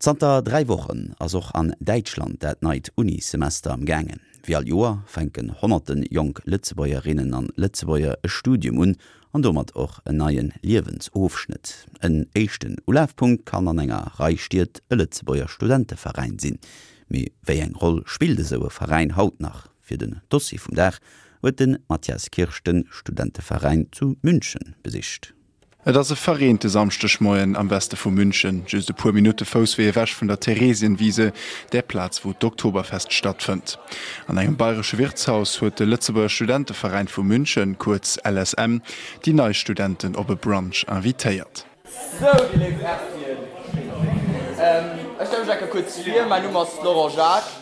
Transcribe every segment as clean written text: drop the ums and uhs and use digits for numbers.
Zanter 3 Wochen ass och an Däitschland dat neit Unissemester am gaangen. Wéi all Joer fänken honnerte jonk Lëtzebuergerinnen an Lëtzebuerger e Studium un an domat och en neie Liewensofschnëtt. En éischten Ulafpunkt kann an enger Rei Stied e Lëtzebuerger Studenteveräin sinn. Mee wéi eng Roll spillt esou e Veräin haut nach? Fir den Dossier vum Dag huet de Mathias Kirsch de Studenteveräin zu München besicht. Et ass e verreente Samschdegmoien am Weste vu München, just e puer Minutte Fousswee ewech vun der Theresienwiese, där Plaz wou d'Oktoberfest stattfënnt. An engem bayresche Wirtshaus huet de Lëtzebuerger Studenteveräin vu München, kuerz LSM, déi nei Studenten op e Brunch invitéiert. Sou, déi léif Ertien, ech stelle mech enker kuerz vir, Mäin Numm ass Laurent Jacques,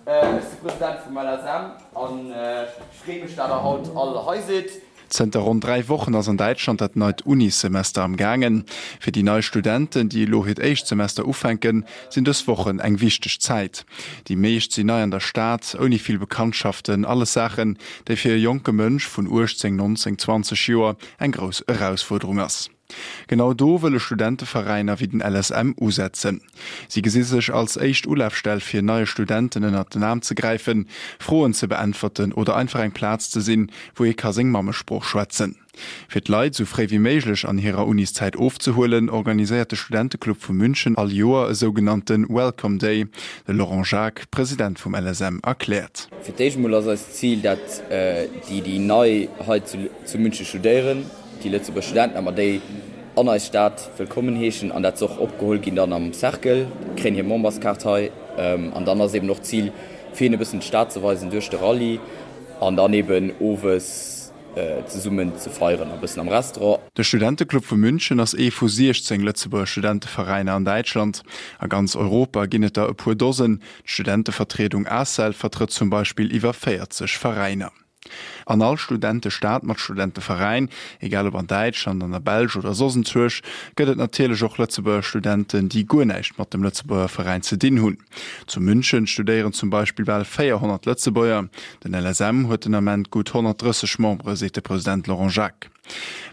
ech si President vum LSM an ech freeë mech, dat der haut all hei sidd. Zënter ronn 3 Wochen ass an Däitschland dat neit Unissemester am gaangen. Fir déi nei Studenten, déi elo hiert éischt Semester ufänken, sinn dës Wochen eng wichteg Zäit. Déi meescht sinn nei an der Stad, ouni vill Bekanntschaften, alles Saachen, déi fir e jonke Mënsch vun 18, 19, 20 Joer eng grouss Erausfuerderung ass. Genau do wëlle Studenteveräiner wéi den LSM usetzen. Si gesi sech als éischt Ulafstell fir neie Studenten ënnert den Aarm ze gräifen, Froen ze beäntwerten oder einfach eng Plaz ze sinn, wou ee ka seng Mammesprooch schwätzen. Fir d'Leit esou fréi wéi méiglech an hirer Uniszäit ofzehuelen, organiséiert de Studenteclub vu München all Joer e sougenannte Welcome Day. De Laurent Jacques, President vum LSM, erkläert. Fir d'éischt emol ass eist Zil, dat déi, déi nei hei zu München studéieren, déi Lëtzebuerger Studenten, a mer déi an eis Stad wëllkommen heeschen an dat se och opgeholl ginn dann am Cercle, kréien hir Memberskaart hei an dann ass eben och d'Zil fir hinnen e bëssen d'Stad ze weisen duerch de Rallye an dann eben owes zesummen ze feieren a bëssen am Restaurant. De Studenteclub vu München ass ee vu 16 Lëtzebuerger Studenteveräiner an Däitschland. A ganz Europa ginn et der e puer Dosen. D'Studentevertriedung ACEL vertrëtt zum Beispill iwwer 40 Veräiner. An all Studentestad mat Studenteveräin, egal ob an Däitschland, an der Belsch oder soss enzwuesch, gëtt et natierlech och Lëtzebuerger Studenten, déi guer näischt mat dem Lëtzebuerger Veräin ze dinn hunn. Zu München studéieren zum Beispill bal 400 Lëtzebuerger. Den LSM huet den Ament gutt 130 Membere, seet de President Laurent Jacques.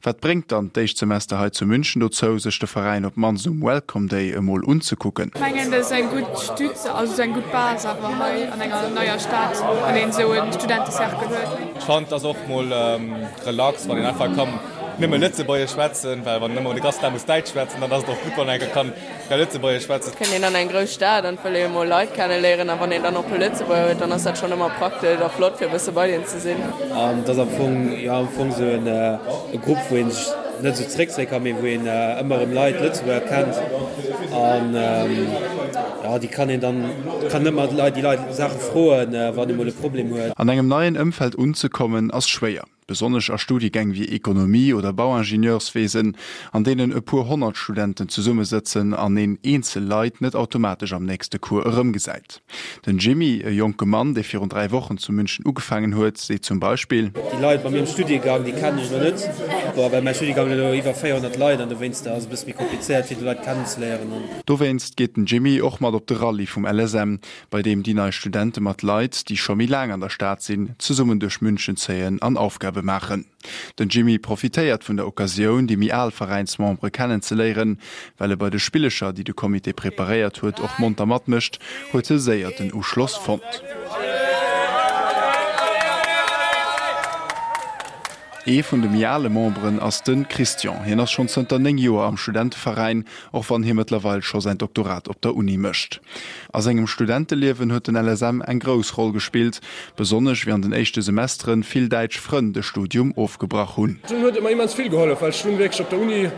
Wat bréngt dann d'éischt Semester hei zu München dozou, sech de Veräin op d'mannst um Welcome Day emol unzekucken? Ech mengen dat ass eng gutt Stütze, also esou eng gutt Base awer hei an enger neier Stad, wann een esou e Studentecercle huet. Ech fannen et ass och mol relax wann een einfach kann nëmme lëtzebuergesch schwätzen, well wann een ëmmer de ganzen Dag muss däitsch schwätzen, dann ass et och gutt wann een enker kann Ka Lëtzebuergesch schwätzen. Kënnt een an eng grouss Stad an wëll ee emol Leit kenne léieren a wann een dann och puer Lëtzebuerger huet, dann ass dat schonn ëmmer praktesch a flott fir e bësse bei deen ze sinn. An et ass am Fong, jo am Fong esou en e Grupp wou een sech net esou zeréckzéie kann, mee wou een ëmmer erëm Leit, Lëtzebuerger kennt an jo déi kann een dann, kann ëmmer Leit déi Leit Saache froen, wann ee mol e Problem huet. An engem neien Ëmfeld unzekommen ass schwéier. Besonnesch a Studiegäng wéi Ekonomie oder Bauingenieurswesen, an deenen e puer 100 Studenten zesummesëtzen an een eenzel Leit net automatesch am nächste Cours erëmgesäit. Den Jimmy, e jonke Mann, dee virun 3 Wochen zu München ugefaangen huet, seet zum Beispill. Déi Leit bei mir am Studiegang, déi kennen ech elo net, bon, well mäi Studiegang huet elo iwwer 400 Leit an dowéinster ass et e bësse méi komplizéiert fir déi Leit kennenzeléieren. Dowéinst geet den Jimmy och mat op de Rallye vum LSM, bei deem déi nei Studente mat Leit, déi scho méi laang an der Stad sinn, zesummen duerch München zéien an Aufgabe maachen. Den Jimmy profitéiert vun der Occasioun, déi méi al Veräinsmembere kennenzeléieren. Well e bei de Spillecher, déi de Comité preparéiert huet, och monter matmécht, huet e séier den Uschloss fonnt. Ee vun de méi ale Memberen ass de Christian. Hien ass schonn zënter 9 Joer am Studenteveräin, och wann hie mëttlerweil scho säin Doktorat op der Uni mécht. A sengem Studenteliewen huet den LSM eng grouss Roll gespillt, besonnesch wéi an den éischte Semesteren vill däitsch Frënn de Studium ofgebrach hunn. Dunn huet et mer immens vill gehollef, well ech dunn wierklech op der Uni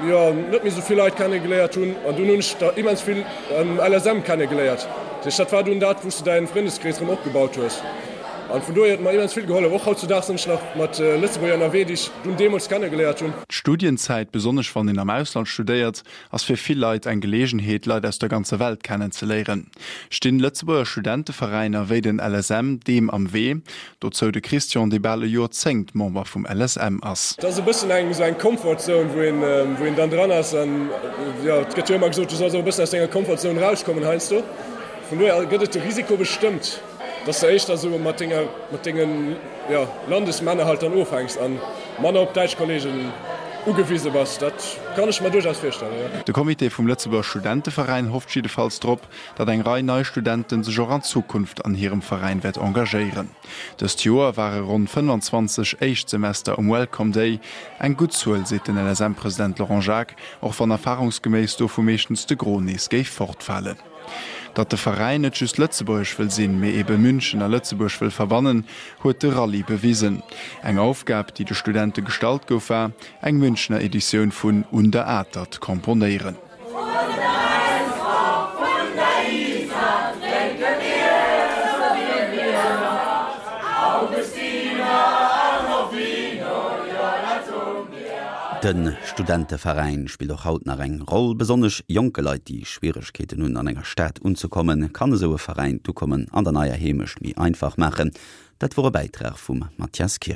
jo net méi esou vill Leit kennegeléiert hunn an dunn hunn ech der immens vill am LSM kennegeléiert. Dat heescht, dat war dunn dat, wou s de däin Frëndeskrees erëm opgebaut hues. An vun dohier huet et mer immens vill gehollef. Och hautzudaags sinn ech nach mat Lëtzebuerger ënnerwee, déi ech dunn deemools kennegeléiert hunn. D'Studienzäit, besonnesch wann een am Ausland studéiert, ass fir vill Leit eng Geleegenheet, Leit aus der ganzer Welt kennenzeléieren. Stinn Lëtzebuerger Studenteveräiner wéi den LSM deem am Wee? Dozou de Christian, dee bal e Joerzéngt Member vum LSM ass. Et ass e bëssen eng esou eng Comfort Zone, wou een, wou een dann dran ass. An jo, et gëtt jo ëmmer gesot, du solls och e bëssen aus denger Comfort Zone erauskommen heiansdo. Vun dohier gëtt et de Risiko bestëmmt. Dass de éischter esou mat denger, mat dengen, jo, Landesmänner halt dann ofhänks an manner op däitsch Kollegen. ugewise bass. Dat kann ech mer duerchaus virstellen, jo. De Comité vum Lëtzebuerger Studenteveräin hofft jiddefalls drop, datt eng Rei nei Studenten sech och an Zukunft an hirem Veräin wäert engagéieren. Dëst Joer ware ronn 25 Éischtsemester um Welcome Day. Eng gutt Zuel, seet den LSM-President Laurent Jacques, och wann erfarungsgeméiss dovu meeschtens de Gros nees géif fortfalen. Datt de Veräin net just lëtzebuergesch wëll sinn, mee ebe München a Lëtzebuerg wëll verbannen, huet de Rallye bewisen. Eng Aufgab, déi de Studente gestallt gouf, war, eng Münchener Editioun vun Un der Atert komponéieren. De Studenteveräin spillt och haut nach eng Roll. Besonnesch jonke Leit, déi Schwieregkeeten hunn, an enger Stad unzekommen, kann esou e Veräin d'Ukommen an der neier Heemecht méi einfach maachen. Dat wor e Bäitrag vum Mathias Kirsch.